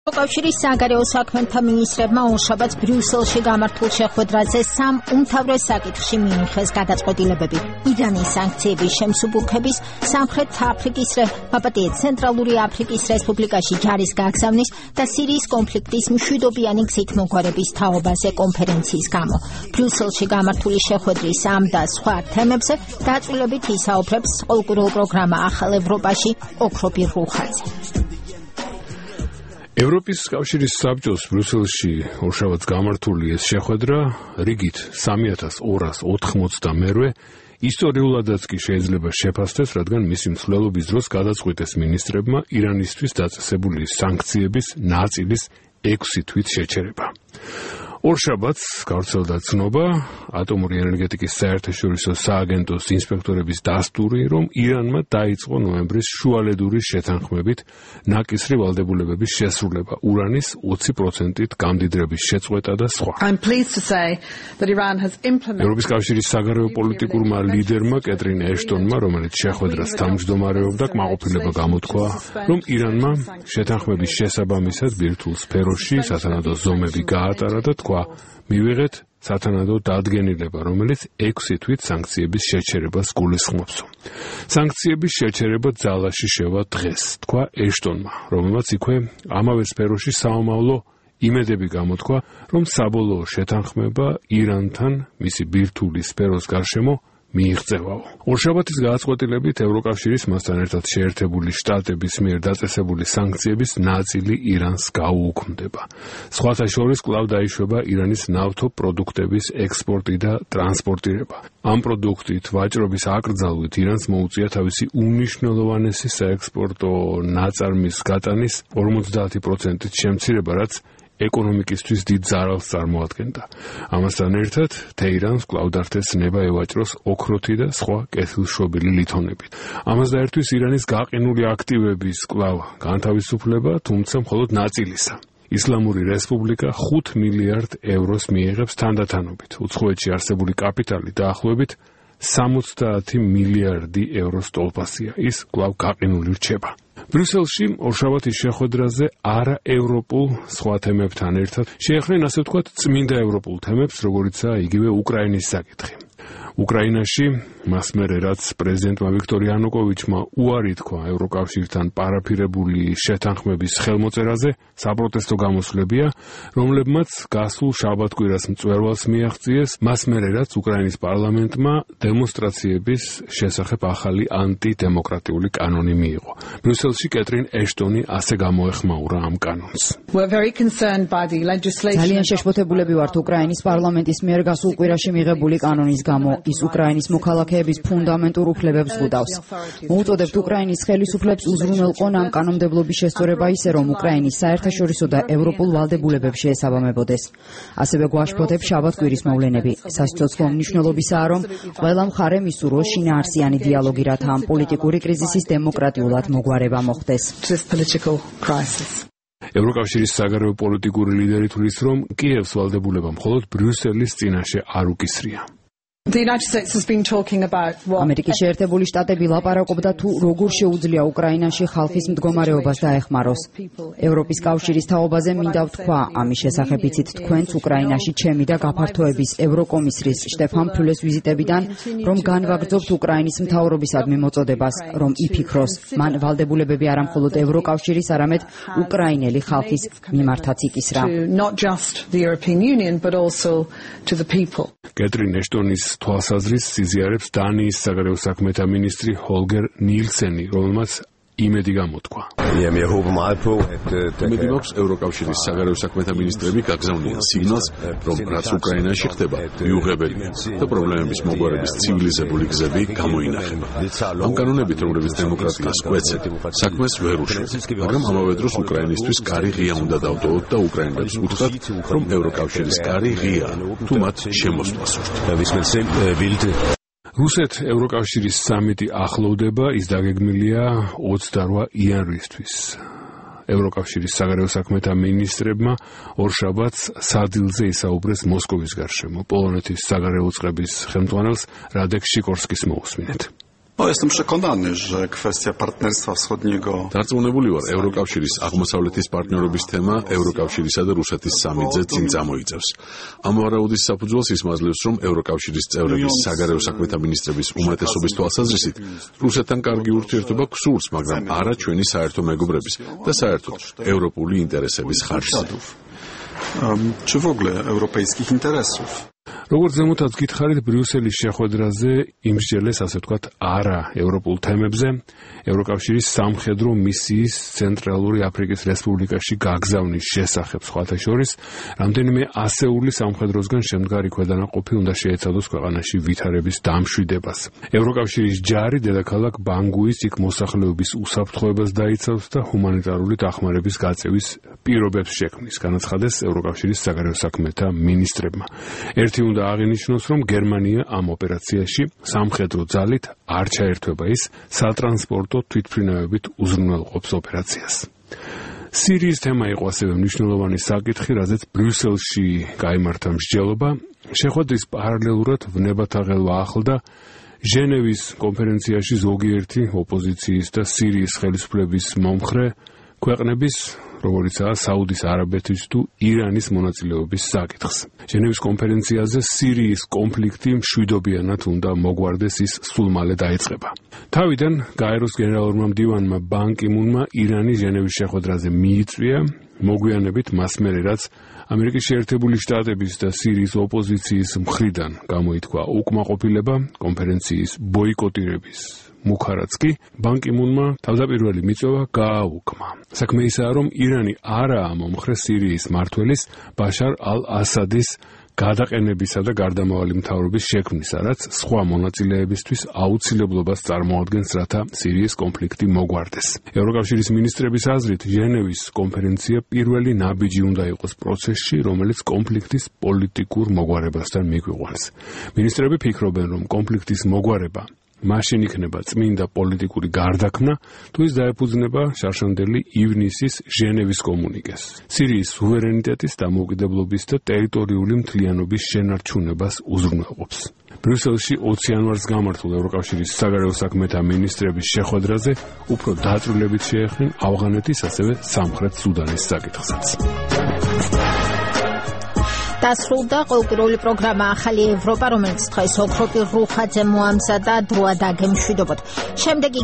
კავშირის საგარეო საქმეთა მინისტრებმა ორშაბათს ბრიუსელში გამართულ შეხვედრაზე სამ უმთავრეს საკითხში მიიღეს გადაწყვეტილებები: ირანის სანქციების შემსუბუქების, სამხრეთ აფრიკის ცენტრალური აფრიკის რესპუბლიკაში ჯარის გაგზავნის და სირიის კონფლიქტის მშვიდობიანი გზით მოგვარების თაობაზე კონფერენციის გამო. ბრიუსელში გამართული შეხვედრის ამ და სხვა თემებზე დაწვრილებით ისაუბრებს პოლიტიკურ პროგრამა ახალ ევროპაში ოქრობირ რუხაძე. ევროპის კავშირის საბჭოს ბრიუსელში ორშაბათს გამართული ეს შეხვედრა რიგით 3288 ისტორიულადაც კი შეიძლება შეფასდეს, რადგან მისი მსვლელობის დროს გადაწყვიტეს მინისტრებმა ირანისთვის დაწესებული სანქციების ნაწილის 6 თვით შეჩერება. ორშაბათს გავრცელდა ცნობა ატომური ენერგეტიკის საერთაშორისო სააგენტოს ინსპექტორების დასტური, რომ ირანმა დაიწყო ნოემბრის შუალედურის შეთანხმებით ნაკისრი ვალდებულებების შესრულება, ურანის 20%-ით გამდიდრების შეწყვეტა და სხვა. ევროპის კავშირის საგარეო პოლიტიკურმა ლიდერმა კეტრინ ეშტონმა, რომელიც შეხვედრას თავმჯდომარეობდა, კმაყოფილება გამოთქვა, რომ ირანმა შეთანხმების შესაბამისად ბირთვულ სფეროში სათანადო ზომები გაატარა და თქვა, მივიღეთ სათანადო დადგენილება, რომელიც 6 თვით სანქციების შეჩერებას გულისხმობს. სანქციების შეჩერება ძალაში შევა დღეს, თქვა ეშტონმა, რომელმაც იქვე ამავე სფეროში საომავლო იმედები გამოთქვა, რომ საბოლოო შეთანხმება ირანთან მისი ბირთვული სფეროს გარშემო მიიღწევაო. ორშაბათის გადაწყვეტილებით ევროკავშირის მასთან ერთად შეერთებული შტატების მიერ დაწესებული სანქციების ნაწილი ირანს გაუუქმდება. სხვათა შორის კვლავ დაიშვება ირანის ნავთობპროდუქტების ექსპორტი და ტრანსპორტირება. ამ პროდუქტით ვაჭრობის აკრძალვით ირანს მოუწია თავისი უმნიშვნელოვანესი საექსპორტო ნაწარმის გატანის 50%-ით შემცირება, რაც ეკონომიკისთვის დიდ ზარალს წარმოადგენდა. ამასთან ერთად თეირანს კვლავ დართეს ნება ევაჭროს ოქროთი და სხვა კეთილშობილი ლითონებით. ამას დაერთვის ირანის გაყინული აქტივების კვლავ განთავისუფლება, თუმცა მხოლოდ ნაწილისა. ისლამური რესპუბლიკა 5 მილიარდ ევროს მიიღებს თანდათანობით. უცხოეთში არსებული კაპიტალი დაახლოებით 70 მილიარდი ევროს ტოლფასია. ის კვლავ გაყინული რჩება. ბრიუსელში ორშაბათის შეხვედრაზე არაევროპულ სხვა თემებთან ერთად შეეხნენ, ასე ვთქვათ, წმინდა ევროპულ თემებს, როგორიცაა იგივე უკრაინის საკითხი. უკრაინაში მას მერე რაც პრეზიდენტმა ვიქტორ იანუკოვიჩმა უარი თქვა ევროკავშირთან პარაფირებული შეთანხმების ხელმოწერაზე, საპროტესტო გამოსვლებია, რომლებმაც გასულ შაბათ-კვირას მწვერვალს მიაღწიეს, მას მერე რაც უკრაინის პარლამენტმა დემონსტრაციების შესახებ ახალი ანტიდემოკრატიული კანონი მიიღო. ბრიუსელში კეტრინ ეშტონი ასე გამოეხმაურა ამ კანონს. ძალიან შეშფოთებულები ვართ უკრაინის პარლამენტის მიერ გასულ კვირაში მიღებული კანონის გამო. ის უკრაინის მოქალაქეების ფუნდამენტურ უფლებებს ზღუდავს. მოუწოდებთ უკრაინის ხელისუფლებს უზრუნველყონ ამ კანონმდებლობის შესწორება ისე, რომ უკრაინის საერთაშორისო და ევროპულ ვალდებულებებს შეესაბამებოდეს. ასევე გვაშფოთებს შაბათ-კვირის მოვლენები. სასიცოცხლო მნიშვნელობისაა, რომ ყველა მხარემ ისურვოს შინაარსიანი დიალოგი, რათა ამ პოლიტიკური კრიზისის დემოკრატიულად მოგვარება მოხდეს. ევროკავშირის საგარეო პოლიტიკური ლიდერი თვლის, რომ კიევს ვალდებულება მხოლოდ ბრიუსელის წინაშე არ უკისრია. ამერიკის შეერთებული შტატები ლაპარაკობდა თუ როგორ შეუძლია უკრაინაში ხალხის მდგომარეობას დაეხმაროს. ევროპის კავშირის თაობაზე მინდა ვთქვა, ამის შესახებ იცით თქვენც უკრაინაში ჩემი და გაფართოების ევროკომისრის შტეფან ფიულეს ვიზიტებიდან, რომ განვაგრძობთ უკრაინის მთავრობისადმი მოწოდებას, რომ იფიქროს, მან ვალდებულებები არა მხოლოდ ევროკავშირის, არამედ უკრაინელი ხალხის მიმართაც იკისრა. კეტრინ ეშტონის თვალსაზრისით სიზიარებს დანიის საგარეო საქმეთა მინისტრი ჰოლგერ ნილსენი, რომელმაც იმედი გამოთქვა. იმედი მაქვს, ევროკავშირის საგარეო საქმეთა მინისტრები გაგზავნიან სიგნალს, რომ რაც უკრაინაში ხდება, მიუღებელია და პრობლემების მოგვარების ცივილიზებული გზები გამოინახება. ამ კანონებით, რომლებიც დემოკრატიას კვეცენ, საქმეს ვერ უშევთ, მაგრამ ამავე დროს უკრაინისთვის კარი ღია უნდა დავტოვოთ და უკრაინელებს უთხრათ, რომ ევროკავშირის კარი ღიაა, თუ მათ შემოსვლას ვუსურთ. რუსეთ-ევროკავშირის სამიტი ახლოვდება, ის დაგეგმილია 28 იანვრისთვის. ევროკავშირის საგარეო საქმეთა მინისტრებმა ორშაბათს სადილზე ისაუბრეს მოსკოვის გარშემო. პოლონეთის საგარეო წყების ხელმძღვანელს რადეკ შიკორსკის მოусმინეთ. Jestem przekonany, że kwestia partnerstwa wschodniego. Დარწმუნებული ვარ, ევროკავშირის აღმოსავლეთის პარტნიორობის თემა ევროკავშირისა და რუსეთის სამიტზე წინ წამოიწევს. ამ ვარაუდის საფუძველს ისმაძლევს, რომ ევროკავშირის წევრების საგარეო საქმეთა მინისტრების უმეტესობის თვალსაზრისით, რუსეთთან კარგი ურთიერთობა გსურს, მაგრამ არა ჩვენი საერთო მეგობრების და საერთოდ ევროპული ინტერესების ხარჯზე. Czy w ogóle europejskich interesów. როგორც ზემოთაც გითხარით, ბრიუსელის შეხვედრაზე იმსჯელეს, ასე ვთქვათ, არა ევროპულ თემებზე, ევროკავშირის სამხედრო მისიის ცენტრალური აფრიკის რესპუბლიკაში გაგზავნის შესახებ სხვათა შორის, რამდენიმე ასეული სამხედროსგან შემდგარი ქვედანაყოფი უნდა შეეცადოს ქვეყანაში ვითარების დამშვიდებას. ევროკავშირის ჯარი დედაქალაქ ბანგუის იქ მოსახლეობის უსაფრთხოებას დაიცავს და ჰუმანიტარული დახმარების გაწევის პირობებს შექმნის, განაცხადეს ევროკავშირის საგარეო საქმეთა მინისტრებმა. ერთი უნდა აღინიშნოს, რომ გერმანია ამ ოპერაციაში სამხედრო ძალით არ ჩაერთვება, ის სატრანსპორტო თვითმფრინავებით უზრუნველყოფს ოპერაციას. სირიის თემა იყო ასევე მნიშვნელოვანი საკითხი, რაზეც ბრიუსელში გაიმართა მსჯელობა. შეხვედრის პარალელურად ვნებათაღელვა ახლდა ჟენევის კონფერენციაში ზოგიერთი ოპოზიციის და სირიის ხელისუფლების მომხრე ქვეყნების, როგორიცაა საუდის არაბეთის თუ ირანის მონაწილეობის საკითხს. ჟენევის კონფერენციაზე სირიის კონფლიქტი მშვიდობიანად უნდა მოგვარდეს, ის სულ მალე დაიწყება. თავიდან გაეროს გენერალურმა მდივანმა ბან კი მუნმა ირანი ჟენევის შეხვედრაზე მიიწვია, მოგვიანებით მას მერე რაც ამერიკის შეერთებული შტატების და სირიის ოპოზიციის მხრიდან გამოითქვა უკმაყოფილება კონფერენციის ბოიკოტირების მუქარაც კი ბან კი მუნმა თავდაპირველი მიწვევა გააუქმა. საქმე ისაა, რომ ირანი არაა მომხრე სირიის მმართველის ბაშარ ალ-ასადის გადაყენებისა და გარდამავალი მთავრობის შექმნისა, რაც სხვა მონაწილეებისთვის აუცილებლობას წარმოადგენს, რათა სირიის კონფლიქტი მოგვარდეს. ევროკავშირის მინისტრების აზრით, ჟენევის კონფერენცია პირველი ნაბიჯი უნდა იყოს პროცესში, რომელიც კონფლიქტის პოლიტიკურ მოგვარებასთან მიგვიყვანს. მინისტრები ფიქრობენ, რომ კონფლიქტის მოგვარება მაშინ იქნება წმინდა პოლიტიკური გარდაქმნა, თუ ის დაეფუძნება შარშანდელი ივნისის ჟენევის კომუნიკეს. სირიის სუვერენიტეტის, დამოუკიდებლობის და ტერიტორიული მთლიანობის შენარჩუნებას უზრუნველყოფს. ბრიუსელში 20 იანვარს გამართულ ევროკავშირის საგარეო საქმეთა მინისტრების შეხვედრაზე უფრო დაწვრილებით შეეხნენ ავღანეთის, ასევე სამხრეთ სუდანის საკითხსაც. დასრულდა ყოველკვირეული პროგრამა ახალი ევროპა, რომელიც დღეს ოქროპირ რუხაძე მოამზადა, დროა დაგემშვიდობოთ. შემდეგი